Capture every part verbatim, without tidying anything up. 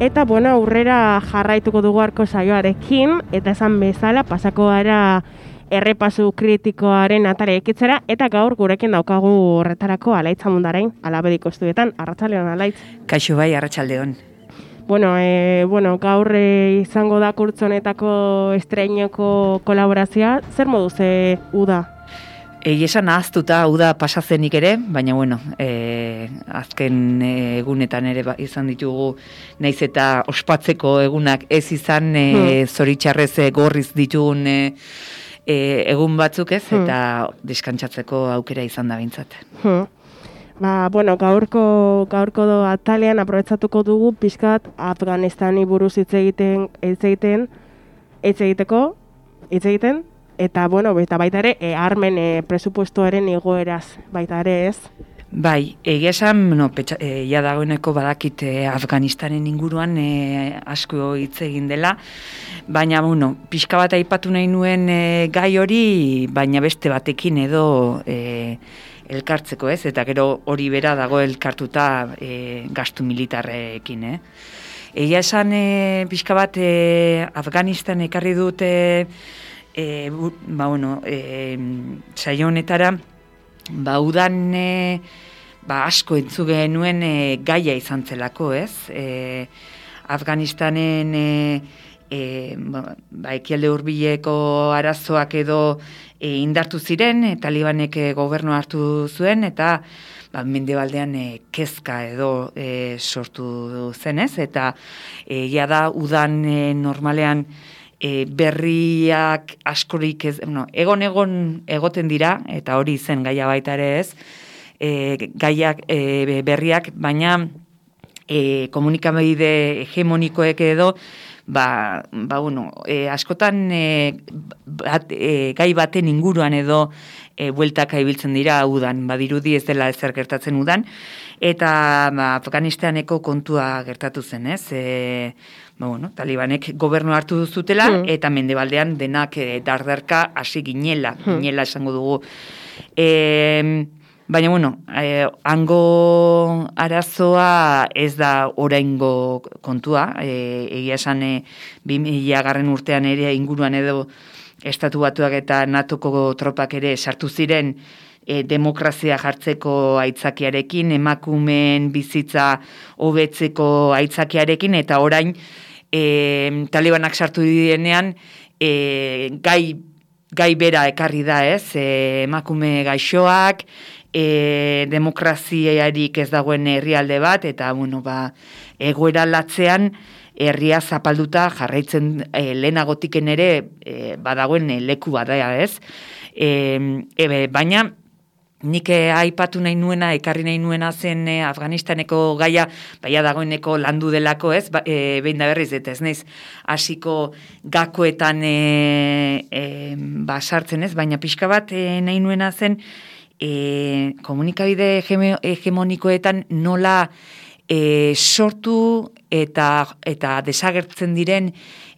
Eta, bueno, aurrera jarraituko dugu arko saioarekin, eta esan bezala, pasako gara errepasu kritikoaren atare ekitzera, eta gaur gurekin daukagu horretarako Alaitz Amundarain, Alabediko estudietan. Arratsaldeon, Alaitz. Kaixo bai, arratsaldeon. Bueno, e, bueno, gaur e, izango da kurtzonetako estreinoko kolaborazioa, zer moduz e, uda? Egia esan ahaztuta uda pasazenik ere, baina bueno, e, azken egunetan ere ba, izan ditugu, naiz eta ospatzeko egunak ez izan, e, hmm. zoritxarrez e, gorriz ditugun e, e, egun batzuk ez, hmm. eta deskantzatzeko aukera izan da bintzat. Hmm. Ba, bueno, gaurko, gaurko do atalean aprobetsatuko dugu pixkat Afganistani buruz hitz egiten, hitz egiten, hitz egiteko, hitz egiten, eta, bueno, eta baita ere, e, armen e, presupuestoaren igoeraz, baita ere ez? Bai, egia esan, no, petxa, e, ja dagoeneko badakit e, Afganistanen inguruan e, asko hitz egin dela, baina, bueno, pixka bat aipatu nahi nuen e, gai hori, baina beste batekin edo e, elkartzeko ez, eta gero hori bera dago elkartuta e, gastu militarrekin, eh? Egia esan, e, pixka bat e, Afganistan ekarri dute, E, ba, bueno, e, saio honetara, ba, udan e, ba, asko entzu genuen e, gaia izan zelako, ez? E, Afganistanen e, e, ba, ba, ekialde hurbileko arazoak edo e, indartu ziren, e, talibanek e, gobernu hartu zuen, eta ba, mendebaldean e, kezka edo e, sortu zenez, eta e, ja da udan e, normalean E, berriak askorik ez, no, egon egon egoten dira, eta hori zen gaia baita ere ez, e, gaiak e, berriak, baina e, komunikabide hegemonikoek edo, ba, ba bueno, e, askotan e, bat, e, gai baten inguruan edo e, bueltaka ibiltzen dira udan, badirudi ez dela ezer gertatzen udan, eta ba, Afganistaneko kontua gertatu zen, ez? E, ba, bueno, talibanek gobernu hartu zutela, hmm. eta mendebaldean denak e, dardarka hasi ginela, hmm. ginela esango dugu. E, baina, bueno, e, hango arazoa ez da oraingo kontua, e, egia esan e, bi mila garren urtean ere inguruan edo Estatu Batuak eta natoko tropak ere sartu ziren e, demokrazia jartzeko aitzakiarekin, emakumeen bizitza hobetzeko aitzakiarekin, eta orain e, talibanak sartu direnean e, gai, gai bera ekarri da, ez? E, emakume gaixoak, e, demokraziarik ez dagoen herrialde bat, eta bueno, ba, egoera latzean herria zapalduta jarraitzen e, lehenagotiken ere e, badagoen e, leku bada, ez? E, e, baina nik e, aipatu nahi nuena, ekarri nahi nuena zen e, Afganistaneko gaia, baina dagoeneko landu delako, ez? Ba, e, behin da berriz, eta ez naiz hasiko gakoetan e, e, ba, sartzen, ez? Baina pixka bat e, nahi nuena zen e, komunikabide hegemonikoetan nola E, sortu eta eta desagertzen diren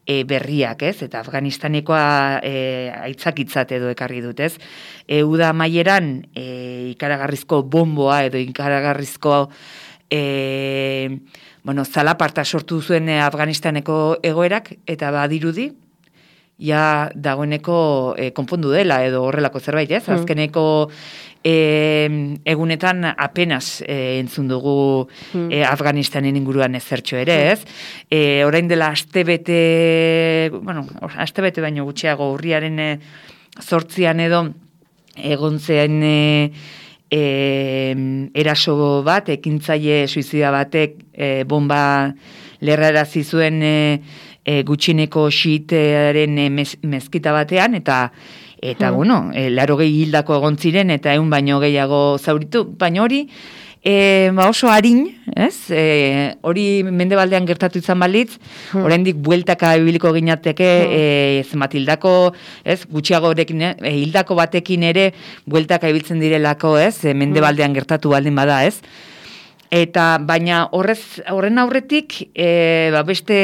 e, berriak, ez? Eta Afganistanekoa e, aitzakitzat edo ekarri dut, ez? E, uda maieran e, ikaragarrizko bomboa edo ikaragarrizko e, bueno, zalaparta sortu zuen Afganistaneko egoerak, eta badirudi ja dagoeneko e, konpondu dela edo horrelako zerbait, ez? Mm. Azkeneko E, egunetan apenas e, entzun dugu hmm. e, Afganistanen inguruan ezertxo ere, ez? E, orain dela astebete, bueno, astebete baino gutxiago urriaren e, zortzian edo egon zen e, e, eraso bat, ekintzaile suizida batek e, bomba lerrarazi zuen e, e, gutxineko xiitearen e, mez, mezkita batean, eta Eta, hmm. bueno, e, larogei hildako egon ziren, eta egun baino gehiago zauritu, baina hori e, ba oso harin, ez? E, hori mendebaldean gertatu izan balitz, hmm. oraindik bueltaka ibiliko ginateke, hmm. e, zenbat hildako, ez? Gutxiagorekin, e, hildako batekin ere bueltaka ibiltzen direlako, ez? E, mendebaldean gertatu baldin bada, ez? Eta baina horrez horren aurretik e, ba beste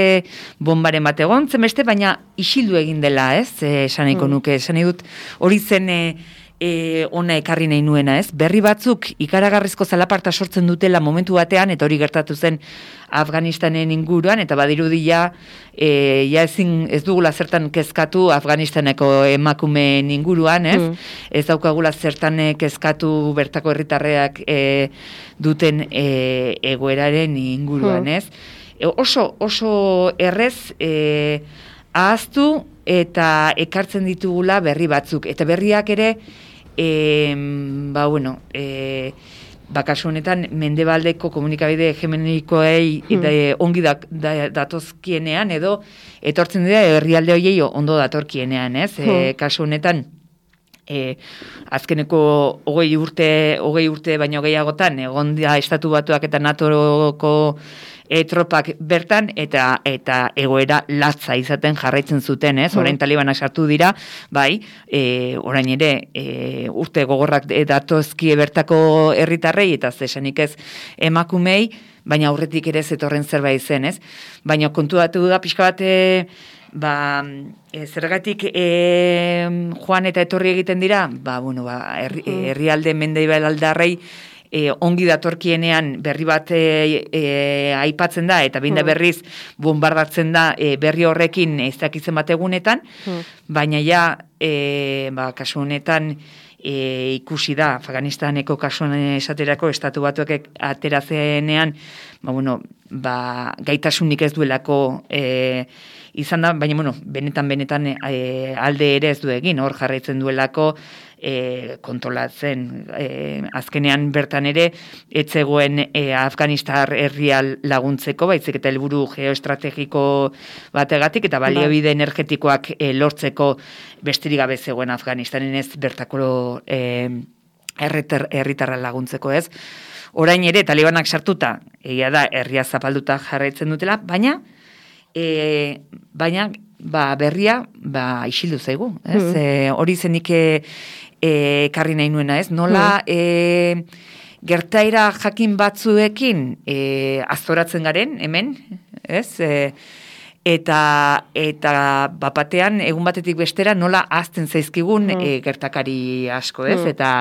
bombaren bat egon zen beste, baina isildu egin dela, ez? Esan nahiko nuke, esan nahi dut hori zen e, e, ona ekarri nahi nuena, ez? Berri batzuk ikaragarrizko zalaparta sortzen dutela momentu batean, eta hori gertatu zen Afganistanen inguruan, eta badirudi ja, e, ja ezin, ez dugula zertan kezkatu Afganistaneko emakumeen inguruan, ez? Mm. Ez daukagula zertan kezkatu bertako herritarreak e, duten e, egoeraren inguruan, mm. ez? E, oso, oso errez e, ahaztu eta ekartzen ditugula berri batzuk, eta berriak ere E, ba, bueno, e, ba, kasu honetan, mendebaldeko komunikabide hegemonikoei hmm. da, ongi da, da, datozkienean, edo etortzen dira herrialde horiei ondo datorkienean, ez? Hmm. E, kasu honetan, e, azkeneko hogei urte, hogei urte baino gehiagotan, egon da Estatu Batuak eta NATOko E, tropak bertan, eta eta egoera latza izaten jarraitzen zuten, ez? Orain talibanak sartu dira, bai, e, orain ere e, urte gogorrak datozkie bertako herritarrei, eta zesanik ez emakumei, baina aurretik ere zetorren zerbait zen, ez? Baina kontuatu da pixka bat, e, ba, e, zergatik e, joan eta etorri egiten dira, ba, bueno, ba, herri, herrialde mendebaldar E, ongi datorkienean berri bat e, e, aipatzen da, eta binda berriz bombardatzen da e, berri horrekin ez dakitzen bat egunetan, hmm. baina ja, e, ba, kasu honetan e, ikusi da, Afganistaneko kasuan esaterako Estatu Batuak aterazenean, ba, bueno, ba, gaitasunik ez duelako e, izan da, baina, bueno, benetan, benetan e, alde ere ez du egin, hor jarraitzen duelako, E, kontrolatzen. E, azkenean bertan ere, etzegoen e, Afganistar herrial laguntzeko, baizik eta helburu geoestrategiko bategatik, eta baliabide energetikoak e, lortzeko besterik gabe zegoen Afganistanen ez bertako e, herritarra laguntzeko, ez. Orain ere, talibanak sartuta, egia da, herria zapalduta jarraitzen dutela, baina, e, baina, ba, berria, ba, isildu zaigu, ez. Mm. E, hori zenik ekarri nahi nuena, ez? Nola e, gertaera jakin batzuekin e, azoratzen garen, hemen, ez? E, eta eta bapatean, egun batetik bestera, nola azten zaizkigun e, gertakari asko, ez? Eta,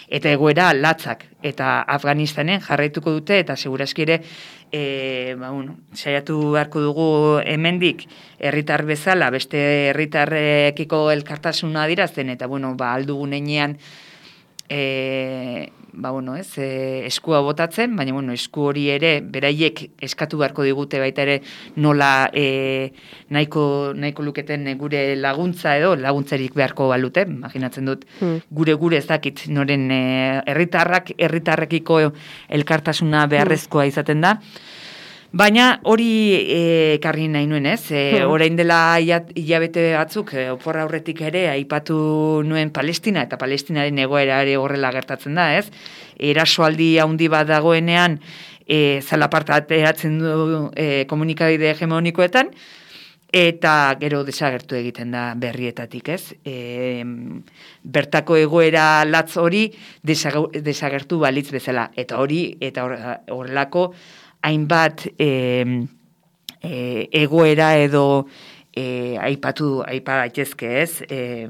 eta egoera latzak. Eta Afganistanen jarraituko dute, eta seguraski ere, e, ba, bueno, saiatu beharko dugu hemendik herritar bezala, beste herritarrekiko elkartasuna adierazten, eta bueno, ba, aldugun heinean e, ba, bueno, ez, e, eskua botatzen, baina bueno, esku hori ere beraiek eskatu beharko digute baita ere nola e, nahiko, nahiko luketen gure laguntza edo laguntzarik beharko balute, imaginatzen dut hmm. gure gure ez dakit noren e, herritarrak herritarrekiko elkartasuna beharrezkoa izaten da. Baina hori ekarri e, nahi nuen, ez? E, hmm. Orain dela hilabete batzuk, e, opor aurretik ere, aipatu nuen Palestina, eta Palestinaren egoera ere horrela gertatzen da, ez? Erasoaldi handi bat dagoenean, e, zalaparta ateratzen du e, komunikabide hegemonikoetan, eta gero desagertu egiten da berrietatik, ez? E, bertako egoera latz hori desagertu balitz bezala, eta hori, eta horrelako, hainbat e, e, egoera edo e, aipatu aipa daitezke, ez? E,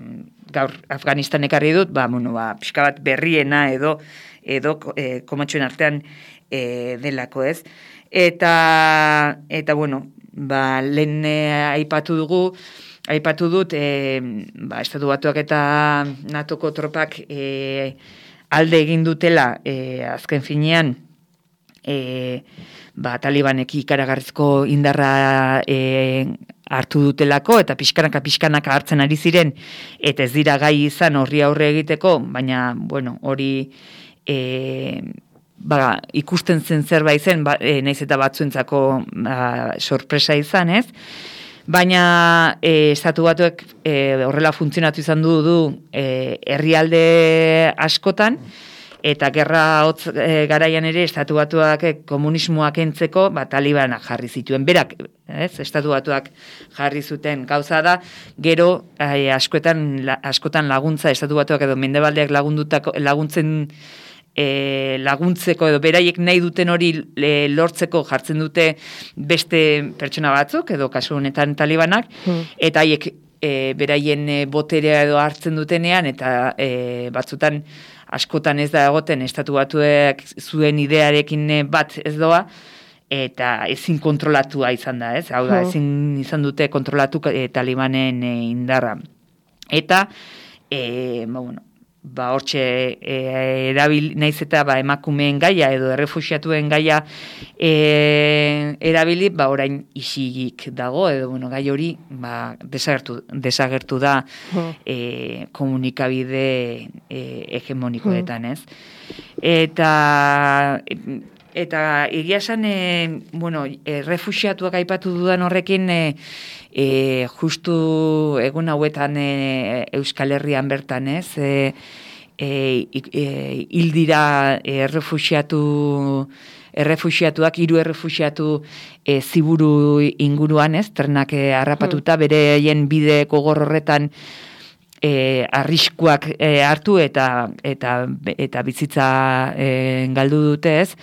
gaur Afganistan ekarri dut, ba, bueno, ba, pixka bat berriena edo edo e, komatxoen artean e, delako, ez? Eta eta bueno, ba, lehen e, aipatu dugu, aipatu dut, e, ba, Estatu Batuak eta NATOko tropak e, alde egin dutela e, azken finean e, ba, talibanek ikaragarrizko indarra e, hartu dutelako, eta pixkanaka pixkanaka hartzen ari ziren, eta ez dira gai izan horri aurre egiteko, baina, bueno, hori e, ba, ikusten zen zerbait zen, ba, e, naiz eta batzuentzako ba, sorpresa izan, ez? Baina e, Estatu Batuek e, horrela funtzionatu izan du du e, herrialde askotan, eta gerra hotz e, garaian ere Estatu Batuak e, komunismoak entzeko ba, talibanak jarri zituen. Berak, ez, Estatu Batuak jarri zuten gauza da, gero e, askotan, la, askotan laguntza Estatu Batuak edo mendebaldeak lagundutako, laguntzen e, laguntzeko edo beraiek nahi duten hori e, lortzeko jartzen dute beste pertsona batzuk, edo kasu honetan talibanak, hmm. eta haiek e, beraien e, boterea edo hartzen dutenean, eta e, batzutan askotan ez da egoten estatu batuek zuen idearekin bat ez doa, eta ezin kontrolatua izan da, ez? Hau da, ezin izan dute kontrolatu e, talibanen e, indarra. Eta, e, ba, bueno, ba, hortxe e, erabil, naiz eta ba, emakumeen gaia edo errefuxiatuen gaia e, erabili, ba, orain isilik dago, edo bueno, gai hori ba, desagertu, desagertu da e, komunikabide e, hegemonikoetan, ez? Eta... Eta egia esan, e, bueno, e, refuxiatuak aipatu dudan horrekin, e, e, justu egun hauetan e, Euskal Herrian bertan, ez? E, e, e, hildira errefuxiatu, errefuxiatuak, hiru errefuxiatu e, ziburu inguruan, ez? Trenak e, harrapatuta, bereien bide gogor horretan E, arriskuak e, hartu eta eta eta bizitza e, galdu dute, ez?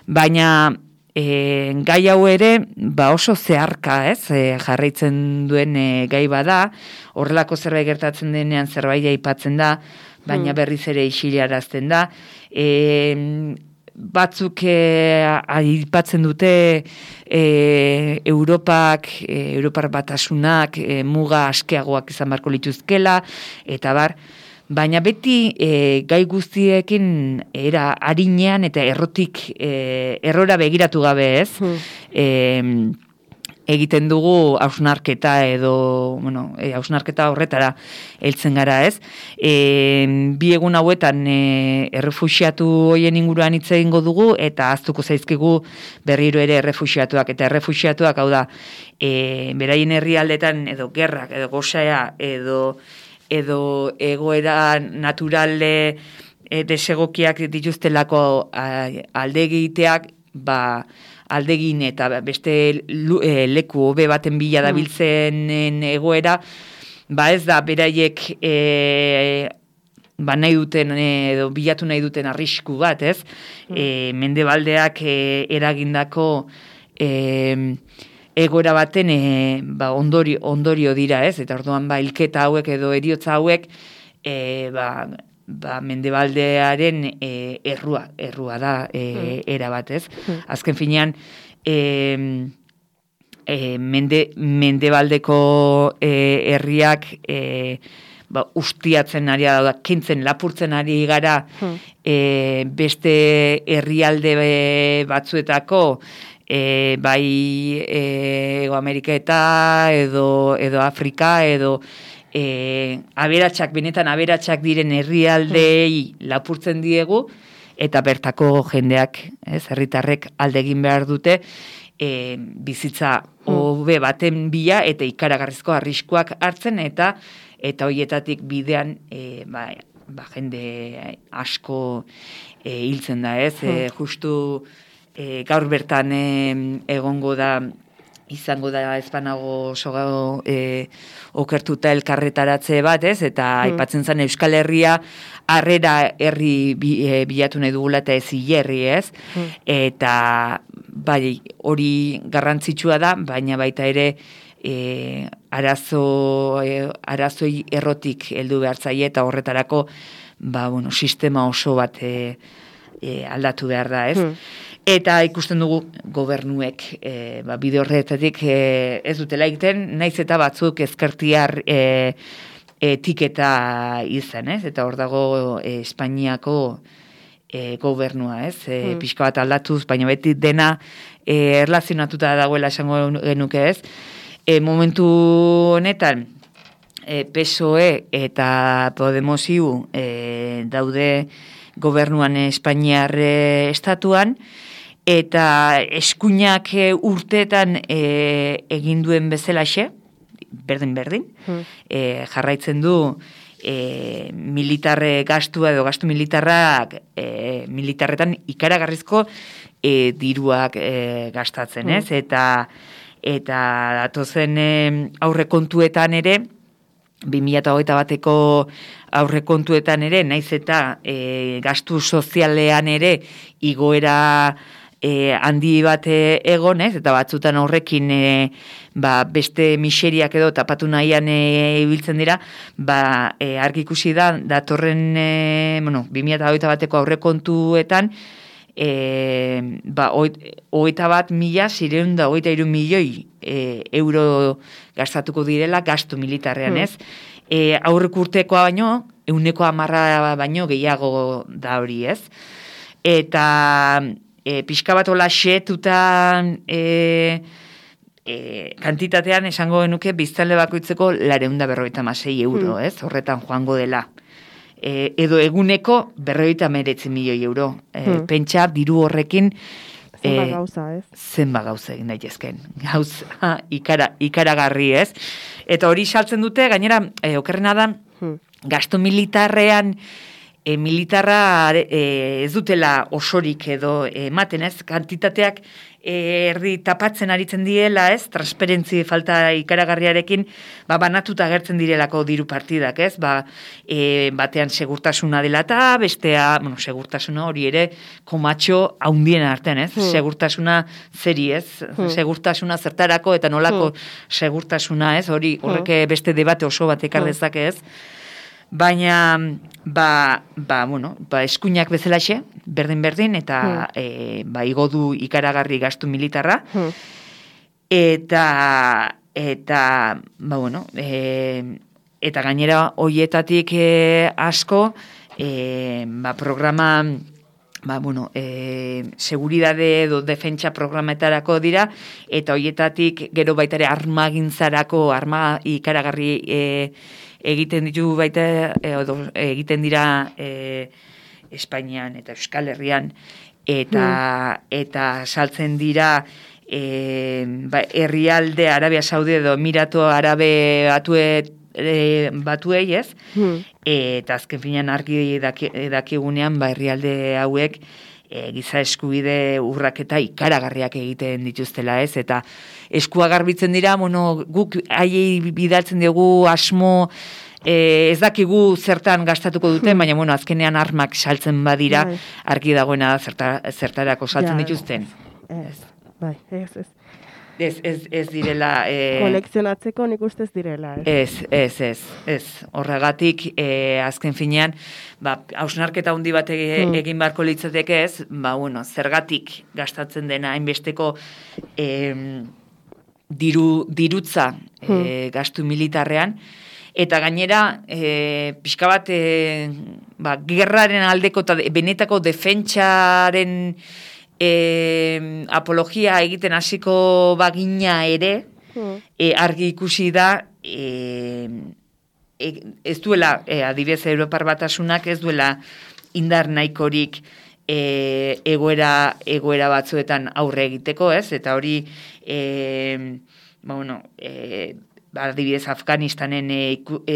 Baina e, gai hau ere ba oso zeharka, ez? E, jarraitzen duen e, gai bada, horrelako zerbait gertatzen denean zerbait aipatzen da, baina hmm. berriz ere isilarazten da. E, batzuk e, aipatzen dute e, Europak, e, Europar batasunak e, muga askeagoak izan barko lituzkela, eta bar, baina beti e, gai guztiekin era arinean eta errotik e, errora begiratu gabe, ez? Hmm. E, egiten dugu hausnarketa edo, bueno, e, hausnarketa horretara heltzen gara, ez? E, bi egun hauetan e, errefuxiatu hoien inguruan hitz egingo dugu eta ahaztuko zaizkigu berriro ere errefuxiatuak eta errefuxiatuak, hau da, e, beraien herrialdetan edo gerrak edo gozaea edo edo egoera naturale e, desegokiak dituztelako alde egiteak, ba aldegin eta beste leku hobe baten bila dabiltzen egoera, ba ez da beraiek e, ba nahi duten edo bilatu nahi duten arrisku bat, ez? E, mendebaldeak e, eragindako e, egoera baten e, ba, ondorio, ondorio dira, ez? Eta orduan ba hilketa hauek edo heriotza hauek e, ba ba, mendebaldearen e, errua, errua da e, mm. era bat, ez? Mm. Azken finean, e, e, mende, mendebaldeko e, herriak e, ba, ustiatzen ari da, kentzen, lapurtzen ari gara mm. e, beste herrialde batzuetako e, bai e, Ego Amerika eta edo, edo Afrika edo E, aberatsak, benetan aberatsak diren herrialdeei lapurtzen diegu, eta bertako jendeak, ez, herritarrek alde egin behar dute, e, bizitza hobe baten bila eta ikaragarrizko arriskuak hartzen, eta eta hoietatik bidean e, ba, ba, jende asko e, hiltzen da, ez, e, justu e, gaur bertan e, egongo da, izango da ezpanago sogago e, okertuta elkarretaratze bat, ez? Eta mm. aipatzen zen Euskal Herria harrera herri bi, e, bilatu nahi dugula eta ez hilerri, ez? Mm. Eta bai, hori garrantzitsua da, baina baita ere e, arazo, e, arazoi errotik heldu behar zaie eta horretarako ba, bueno, sistema oso bat e, e, aldatu behar da, ez? Mm. Eta ikusten dugu gobernuek e, ba, bide horretatik e, ez dutela egiten, naiz eta batzuk ezkertiar e, etiketa izan, ez? Eta hor dago e, Espainiako e, gobernua, ez? E, mm. Pixka bat aldatuz, baina beti dena e, erlazionatuta dagoela esango genuke, ez? E, momentu honetan, e, P S O E eta Podemosiu e, daude gobernuan Espainiar e, estatuan, eta eskuinak urteetan e, egin duen bezalaxe, berdin-berdin, hmm. e, jarraitzen du e, militarre gastua edo gastu militarrak e, militarretan ikaragarrizko e, diruak e, gastatzen, hmm. ez? Eta, eta datozen e, aurrekontuetan ere, bi mila hogeita bateko aurrekontuetan ere, naiz eta e, gastu sozialean ere igoera e, handi bat egon, ez? Eta batzutan horrekin e, ba, beste miseriak edo tapatu nahian e, ibiltzen dira, ba, e, argi ikusi da, datorren, e, bueno, bi mila hogeita bateko aurrekontuetan, e, ba, hogeita bat mila zireun da hogeita hiru milioi e, euro gastatuko direla gastu militarrean, ez? E, aurrek urtekoa baino, euneko hamarra baino gehiago da hori, ez? Eta e, pixka bat hola xetutan e, e, kantitatean esango genuke biztanle bakoitzeko lareunda berrogeita hamasei euro, ez? Horretan joango dela. E, edo eguneko berrogeita hemeretzi milioi euro. E, hmm. Pentsa, diru horrekin zenba gauza, ez? Zenba gauza egin daitezken. Gauza ikara, ikaragarri, ez? Eta hori saltzen dute, gainera, e, okerrena da, hmm. gasto militarrean, e, militarra e, ez dutela osorik edo ematen, ez? Kantitateak e, erdi tapatzen aritzen diela, ez? Transparentzi falta ikaragarriarekin, ba, banatuta agertzen direlako diru partidak, ez? Ba, e, batean segurtasuna dela eta bestea, bueno, segurtasuna hori ere komatxo haundien artean, ez? Hmm. Segurtasuna zeri, ez? Hmm. Segurtasuna zertarako eta nolako hmm. segurtasuna, ez? Hori horrek beste debate oso bat ekar dezake, ez? Baina, ba, ba, bueno, ba, eskuinak bezalaxe, berdin-berdin, eta hmm. e, ba, igo du ikaragarri gastu militarra, hmm. eta, eta, ba, bueno, e, eta gainera hoietatik e, asko, e, ba, programa, ba, bueno, e, seguridade edo defentsa programetarako dira, eta hoietatik gero baitare armagintzarako, arma ikaragarri e, egiten ditu baita, edo, egiten dira e, Espainian eta Euskal Herrian, eta, hmm. eta saltzen dira e, ba, herrialde Arabia Saudi edo Emiratu Arabe batue, e, batuei, ez? Hmm. Eta azken finean argi daki, dakigunean, ba, herrialde hauek e, giza eskubide urraketa ikaragarriak egiten dituztela, ez? Eta eskua garbitzen dira, bueno, guk haiei bidaltzen dugu asmo, e, ez dakigu zertan gastatuko duten, baina, bueno, azkenean armak saltzen badira, bai. Argi dagoena zerta, zertarako saltzen ja, dituzten. Ez, bai, ez, ez. Ez, ez, ez direla... E... Kolekzionatzeko nik ustez direla. Ez, ez, ez, ez. Horregatik, e, azken finean, ba, hausnarketa handi bat egin hmm. barko litzateke ez, ba, bueno, zergatik gastatzen dena hainbesteko e, diru, dirutza hmm. e, gastu militarrean, eta gainera, e, pixka bat, e, ba, gerraren aldeko eta benetako defentsaren E, apologia egiten hasiko bagina ere, hmm. e, argi ikusi da, e, e, ez duela, e, adibidez Europar Batasunak ez duela indar nahikorik e, egoera, egoera batzuetan aurre egiteko, ez? Eta hori, e, ba, bueno, e, adibidez Afganistanen e,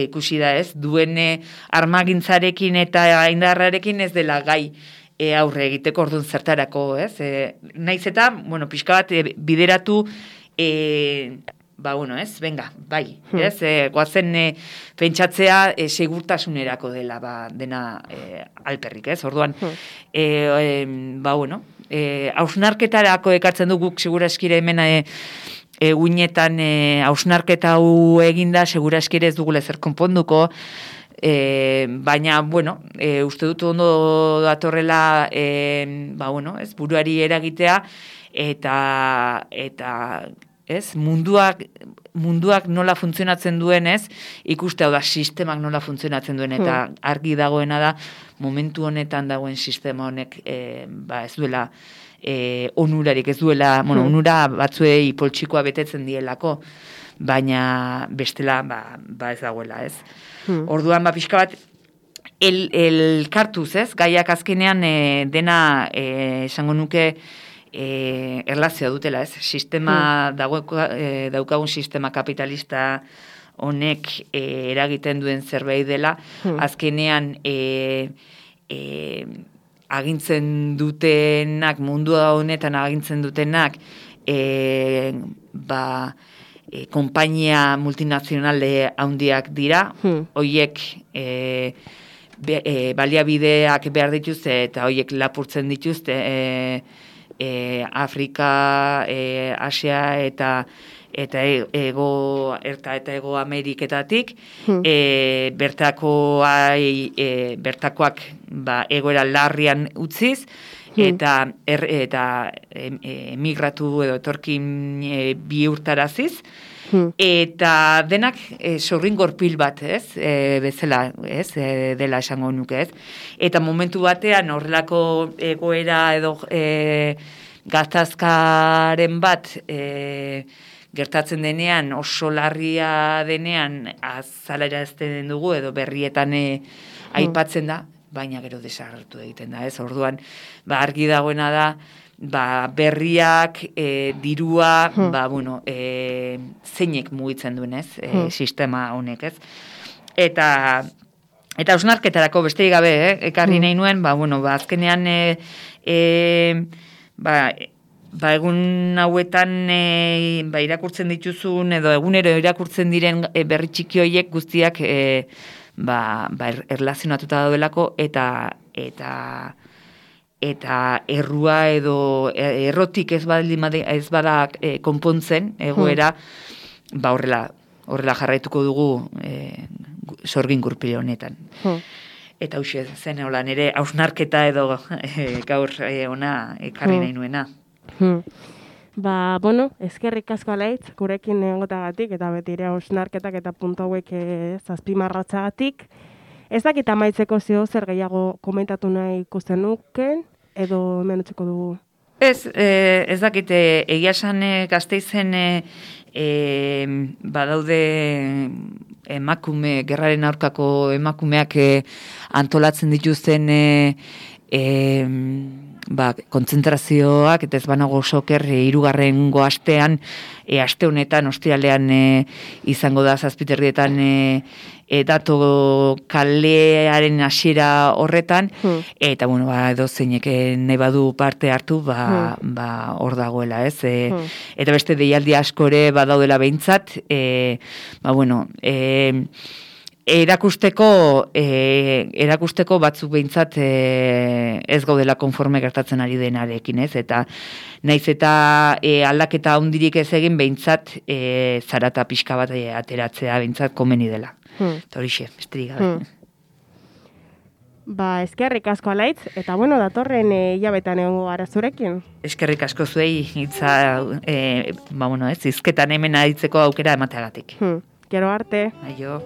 ikusi da, ez? Duen e, armagintzarekin eta indarrarekin ez dela gai E, aurre egiteko orduan zertarako, ez? E, naiz eta, bueno, pixka bat e, bideratu, e, ba, bueno, ez? Venga, bai, hmm. ez? E, goazen e, pentsatzea e, segurtasunerako dela, ba, dena e, alperrik, ez? Orduan, hmm. e, e, ba, bueno, e, hausnarketarako ekartzen du guk seguraskire hemen e, egunetan e, hausnarketa hau eginda, seguraskire ez dugula zer konponduko, E, baina, bueno, e, uste dut ondo datorrela e, ba, bueno, ez, buruari eragitea eta, eta ez, munduak, munduak nola funtzionatzen duen, ez, ikuste hau da sistemak nola funtzionatzen duen eta hmm. argi dagoena da momentu honetan dagoen sistema honek e, ba, ez duela e, onurarik, ez duela, bueno, hmm. onura batzuei poltsikoa betetzen dielako, baina bestela ba, ba ez dagoela, ez. Hmm. Orduan, ba, pixka bat, el, el kartuz, ez? Gaiak azkenean e, dena, e, esango nuke, e, erlazioa dutela, ez? Sistema, hmm. dago, e, daukagun sistema kapitalista honek e, eragiten duen zerbait dela, hmm. azkenean e, e, agintzen dutenak, mundua honetan agintzen dutenak, e, ba, E, konpainia multinazionale handiak dira, hmm. hoiek e, be, e, baliabideak behar dituzte eta hoiek lapurtzen dituzte e, e, Afrika, e, Asia eta eta ego erta eta ego Ameriketatik, hmm. e, bertakoai, e, bertakoak ba, egoera larrian utziz, hmm. eta er, eta emigratu edo etorkin e, bihurtaraziz, hmm. eta denak e, sorringorpil bat, ez, e, bezala, ez, e, dela esango nuke, ez, eta momentu batean horrelako egoera edo e, gatazkaren bat, e, gertatzen denean, oso larria denean, azalera ez den dugu, edo berrietan e, aipatzen da, baina gero desagertu egiten da, ez? Orduan, ba, argi dagoena da, ba, berriak, e, dirua, hmm. ba, bueno, e, zeinek mugitzen duen, ez? E, hmm. Sistema honek, ez? Eta, eta osnarketarako besterik gabe, eh? Ekarri nahi nuen, ba, bueno, ba, azkenean, e, e, ba, Ba, egun hauetan e, ba, irakurtzen dituzun edo egunero irakurtzen diren e, berri txiki horiek guztiak e, ba, ba, erlazionatuta daudelako eta eta eta errua edo errotik ez bada ez bada e, konpontzen egoera hmm. ba horrela horrela jarraituko dugu e, sorgin gurpil honetan. Hmm. Eta hoxe zen holan ere hausnarketa edo e, gaur e, ona ekarri hmm. nahi nuena. Hmm. Ba, bueno, eskerrik asko alaitz, gurekin egotagatik, eta beti ere hausnarketak eta puntu hauek zazpimarratzagatik. Ez dakit amaitzeko zio zer gehiago komentatu nahi ikusten nuken, edo hemen utziko dugu? Ez, eh, ez dakit, eh, egia esan eh, Gasteizen eh, eh, badaude emakume, gerraren aurkako emakumeak eh, antolatzen dituzten eh, eh, ba, kontzentrazioak, eta ez banago soker, e, irugarrengo astean, e, aste honetan, ostialean e, izango da zazpiterrietan e, e, dato kalearen hasiera horretan, hmm. eta, bueno, ba, edo zeinek nahi badu parte hartu, ba, hmm. ba, hor dagoela, ez? E, hmm. Eta beste deialdi askore badaudela behintzat, e, ba, bueno, e, Erakusteko, e, erakusteko batzuk behintzat e, ez gaudela konforme gertatzen ari denarekin, ez? Eta naiz eta e, aldaketa handirik ez egin behintzat e, zarata pixka bat e, ateratzea behintzat komeni dela. Hmm. Eta horixe, besterik gabe. Hmm. Ba, eskerrik asko alaitz, eta bueno, datorren e, hilabetan egongo gara zurekin. Eskerrik asko zuei, hitza, e, ba, bueno, ez, izketan hemen aditzeko aukera emateagatik. Hmm. Gero arte. Aio.